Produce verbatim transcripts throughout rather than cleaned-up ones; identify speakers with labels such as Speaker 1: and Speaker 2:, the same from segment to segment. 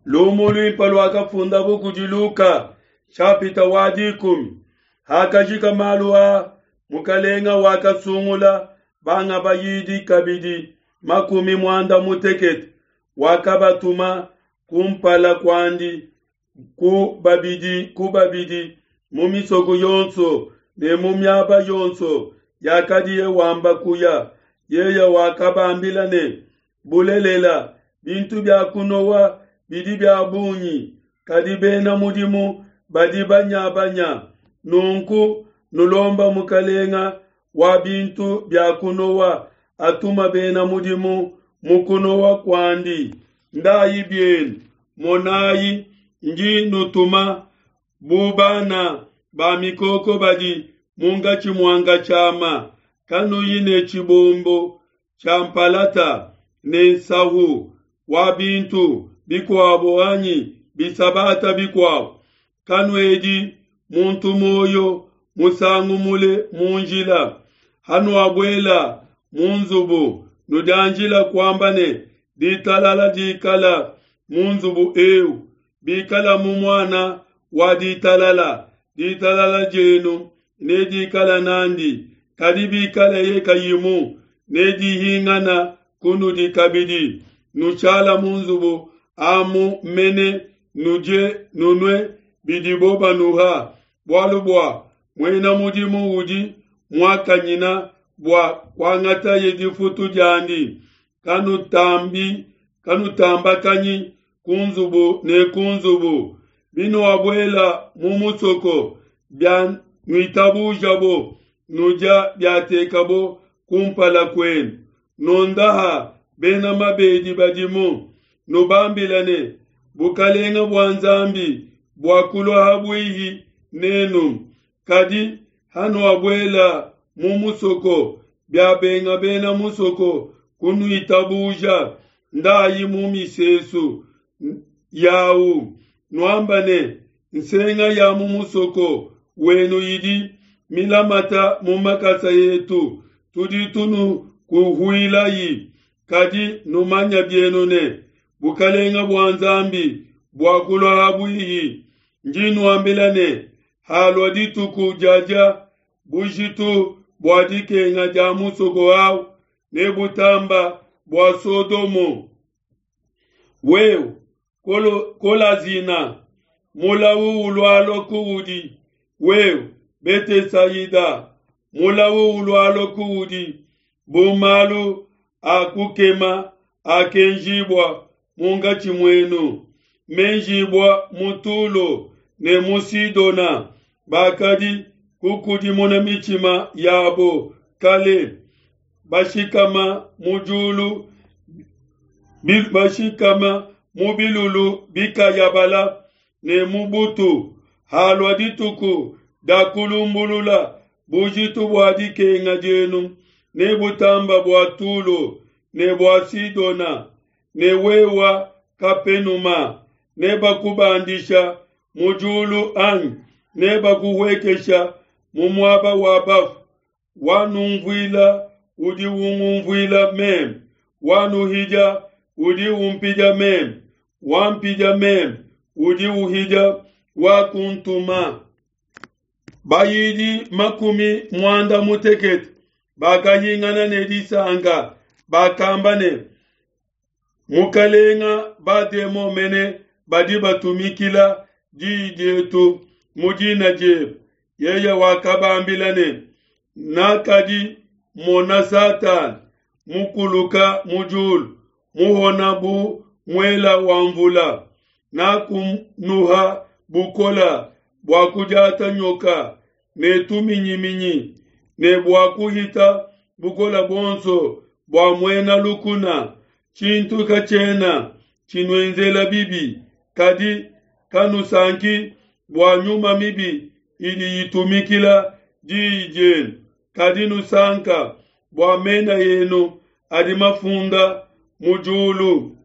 Speaker 1: Lumu luimpe luakafundabo kudi Luka nshapita wa dikumi. Hakajika malu aa, Mukalenga wakasungula banga bayidi kabidi makumi muanda mutekete, wakabatuma kumpala kuandi ku babidi ku babidi mu misoko yonso ne mu miaba yonso yakadiye wamba kuya. Yeye wakabambila ne, Bulelela, bintu bia kunowa bidi bia bungi, kadi bena mudimu badi banya-banya. Nunku nulomba Mukalenga wa bintu bia kunowa atuma bena mudimu mu kunowa kuandi. Ndayi bienu, monayi, ndi nutuma bu bana ba mikoko badi munkatshi mua nkashama. Kanuyi ne tshibombo tshia mpalata ne nsahu wa bintu bikuabo anyi bisabata bikuabo. Kanuedi muntu muoyo musangu mule mu njila. Hanuabuela mu nzubu, nudianjila kuamba ne, Ditalala dikala mu nzubu eu. Bikala mu muana wa ditalala, ditalala dienu nedikala nandi, kadi bikaleye kayimu, nedihingana kunudi kabidi. Nushala mu nzubu amu mene, nudie nunue bidibo banuha, bualu bua muena mudimu udi muakanyina bua kuangataye difutu diandi. Kanutambi kanutambakanyi ku nzubu ne ku nzubu. Binuabuela mu musoko, bianuitabujabo, nudia biatekabo kumpala kuenu. Nondaha bena mabedi badimu, nubambila ne, Bukelenge bua Nzambi buakulua ha buihi nenu. Kadi hanuabuela mu musoko, biabenga bena musoko kunuitabuja, ndayi mu misesu yawu, nuamba ne, Nsenga ya mu musoko wenu idi milamata mu makasa etu, tudi tunukuhuilayi. Kadi numanya bienu ne, Bukelenge bua Nzambi buakulua ha buihi. Ndi nuambila ne, halua dituku diadia bujitu bua dikenga dia musoko au nebutamba bua Sodomo. Wewe Kolazina, mulau ulualua kuudi. Wewe Betesaida, mulau ulualua kuudi. Bu malu a kukema akenjibua munkatshi muenu, menjibua mu Tulo ne mu Sidona, bakadi kukudimuna mitshima yabo kale, bashikama mu diulu bashikama mu bilulu bikayabala ne mu butu. Halua dituku dia kulumbulula, bujitu bua dikenga dienu nebutamba bua Tulo ne bua Sidona. Ne wewa Kapenuma, nebakubandisha mu diulu anyi nebakuhuekesha mu muaba wa bafu? Wanunvuila udi ungunvuila meme, wanuhidia udi umpidia meme, wampidia meme udi uhidia wakuntuma. Bayidi makumi muanda mutekete bakahingana ne disanka, bakamba ne, Mukalenga, bademon mene badi batumikila diyi dietu mu dina diebe. Yeye wakabambila ne, Nakadi mona Satana mukuluka mu diulu, muhona bu muela wa mvula. Nakunuha bukola bua kudiata nyoka ne tuminyiminyi, ne bua kuhita bukola buonso bua muena lukuna. Tshintu katshiena tshinuenzela bibi. Kadi kanusanki bua nyuma mibi idi itumikila diyi dienu, kadi nusanka bua mena enu adi mafunda mu diulu.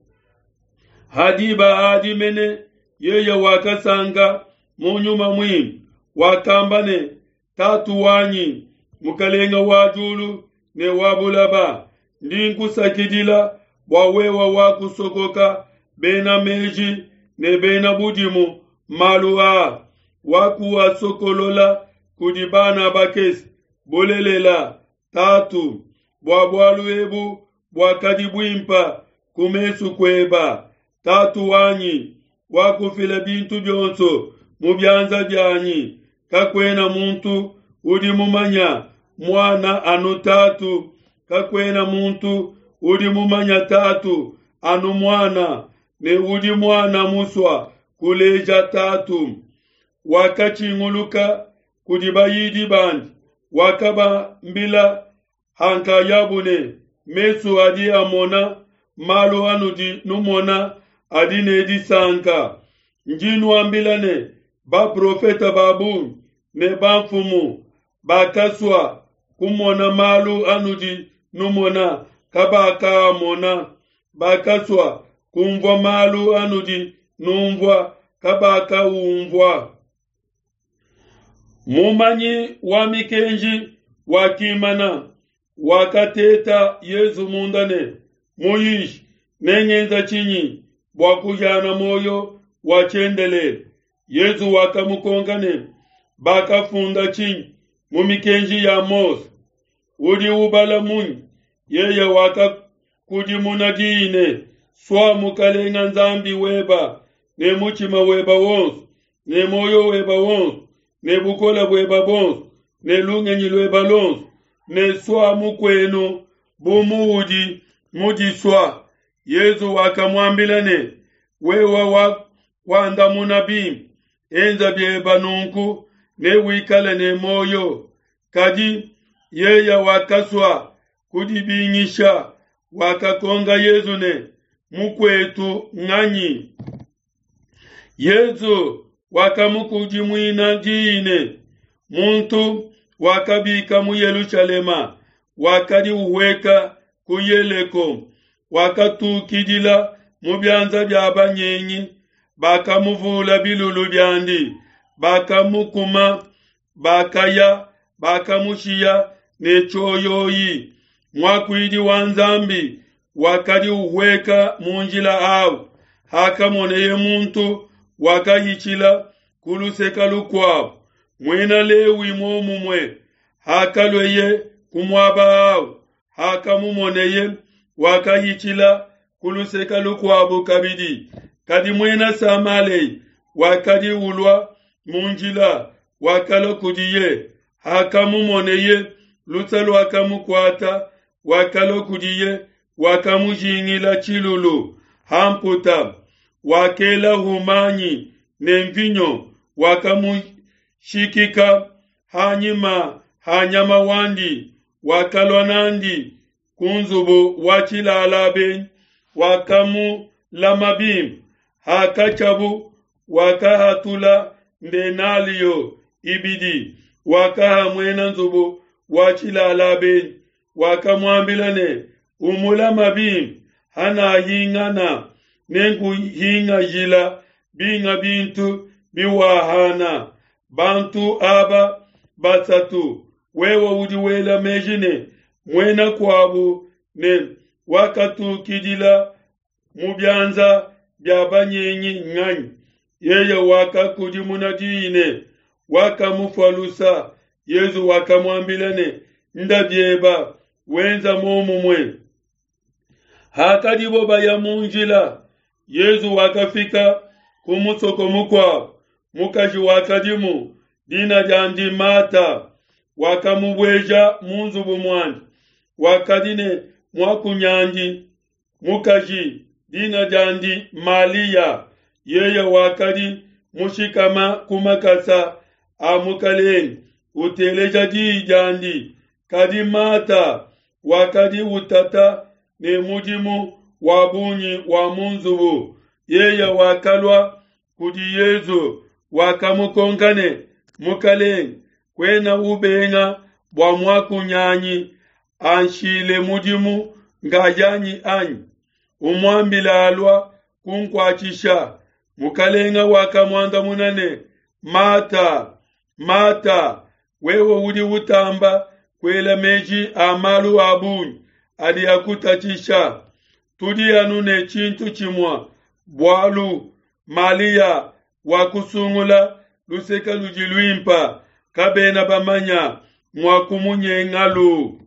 Speaker 1: Hadiba adi mene yeye wakasanka mu Nyuma Muimpe, wakamba ne, Tatu wanyi, Mukalenga wa diulu ne wa bulaba, ndi nkusakidila bua wewe wakusokoka bena meji ne bena budimu malu aa, wakuasokolola kudi bana bakese. Bulelela, Tatu, bua bualu ebu buakadi buimpa ku mesu kueba. Tatu wanyi wakufila bintu bionso mu bianza bianyi. Kakuena muntu udi mumanya muana anu Tatu, kakuena muntu udi mumanya Tatu anu muana, ne udi muana musua kuleja Tatu. Wakatshinguluka kudi bayidi bandi, wakabambila hankayabu ne, mesu adi amona malu anudi numona adi ne disanka. Ndi nuambila ne, baprofeta ba bungi ne bamfumu bakasua kumona malu anudi numona, kabakaamona. Bakasua kumvua malu anudi numvua, kabakaumvua. Mumanyi wa mikenji wakimana, wakateta Yezu munda ne, Muyishi, nengenza tshinyi bua kuhiana muoyo wa tshiendelele? Yezu wakamukonka ne, bakafunda tshinyi mu mikenji ya Mose? Udi ubala munyi? Yeye wakakudimuna diyi ne, sua Mukalenga Nzambi weba ne mutshima weba wonso, ne muoyo weba wonso, ne bukole bueba bonso, ne lungenyi lueba lonso, ne sua mukuenu bu muudi mudisua. Yezu wakamuambila ne, wewe wa kuandamuna bimpe, enza bieba nunku ne wikale ne muoyo. Kadi yeye wakasua kudibingisha, wakakonka Yezu ne, mukuetu nganyi? Yezu wakamukudimuina diyi ne, muntu wakabika mu Yelushalema, wakadi uhueka ku Yeriko, wakatukidila mu bianza bia banyengi, bakamuvula bilulu biandi, bakamukuma, bakaya, bakamushiya ne tshioyoyi. Muakuidi wa Nzambi wakadi uhueka mu njila awu, hakamoneye muntu wakahitshila ku luseke lukuabu, muena Lewi muomumue, hakalueye ku muaba awu, hakamumoneye wakahitshila ku luseke lukuabu kabidi. Kadi muena Samalea wakadi ulua mu njila, wakalua kudiye, hakamumoneye luse luakamukuata, wakalua kudiye, wakamujingila tshilulu hamputa, wakela humanyi ne mvinyo, wakamushikika hanyima ha nyama wandi, wakalua nandi ku nzubu wa tshilala benyi, wakamulama bimpe. Hakatshiabu wakahatula ndenalio ibidi, wakaha muena nzubu wa tshilala benyi, wakamuambila ne, umulama bimpe, hanahingana nenkuhingajila binga bintu biwahana. Bantu aba basatu, wewe udi wela meji ne muena kuabu ne wakatukidila mu bianza bia banyengi nganyi? Yeye wakakudimuna diyi ne, wakamufua lusa. Yezu wakamuambila ne, nda bieba, wenza muomumue. Hakadibo baya mu njila, Yezu wakafika ku musoko mukuabu. Mukaji wakadimu, dina diandi Mata, wakamubueja mu nzubu muandi. Wakadi ne muakunyandi mukaji, dina diandi Malia. Yeye wakadi mushikama ku makasa a Mukalenge, uteleja diyi diandi. Kadi Mata wakadi utata ne mudimu wa bungi wa mu nzubu. Yeye wakalua kudi Yezu, wakamukonka ne, Mukalenge, kuena ubenga bua muakunyanyi anshile mudimu ngayanyi anyi? Umuambila alua kunkuatshisha. Mukalenge wakamuandamuna ne, Mata, Mata, wewe udi utamba kuela meji a malu a bungi adi akutatshisha. Tudi anu ne tshintu tshimue bualu Malia wakusungula luseke ludi luimpa, kabena bamanya mua kumunyengalu.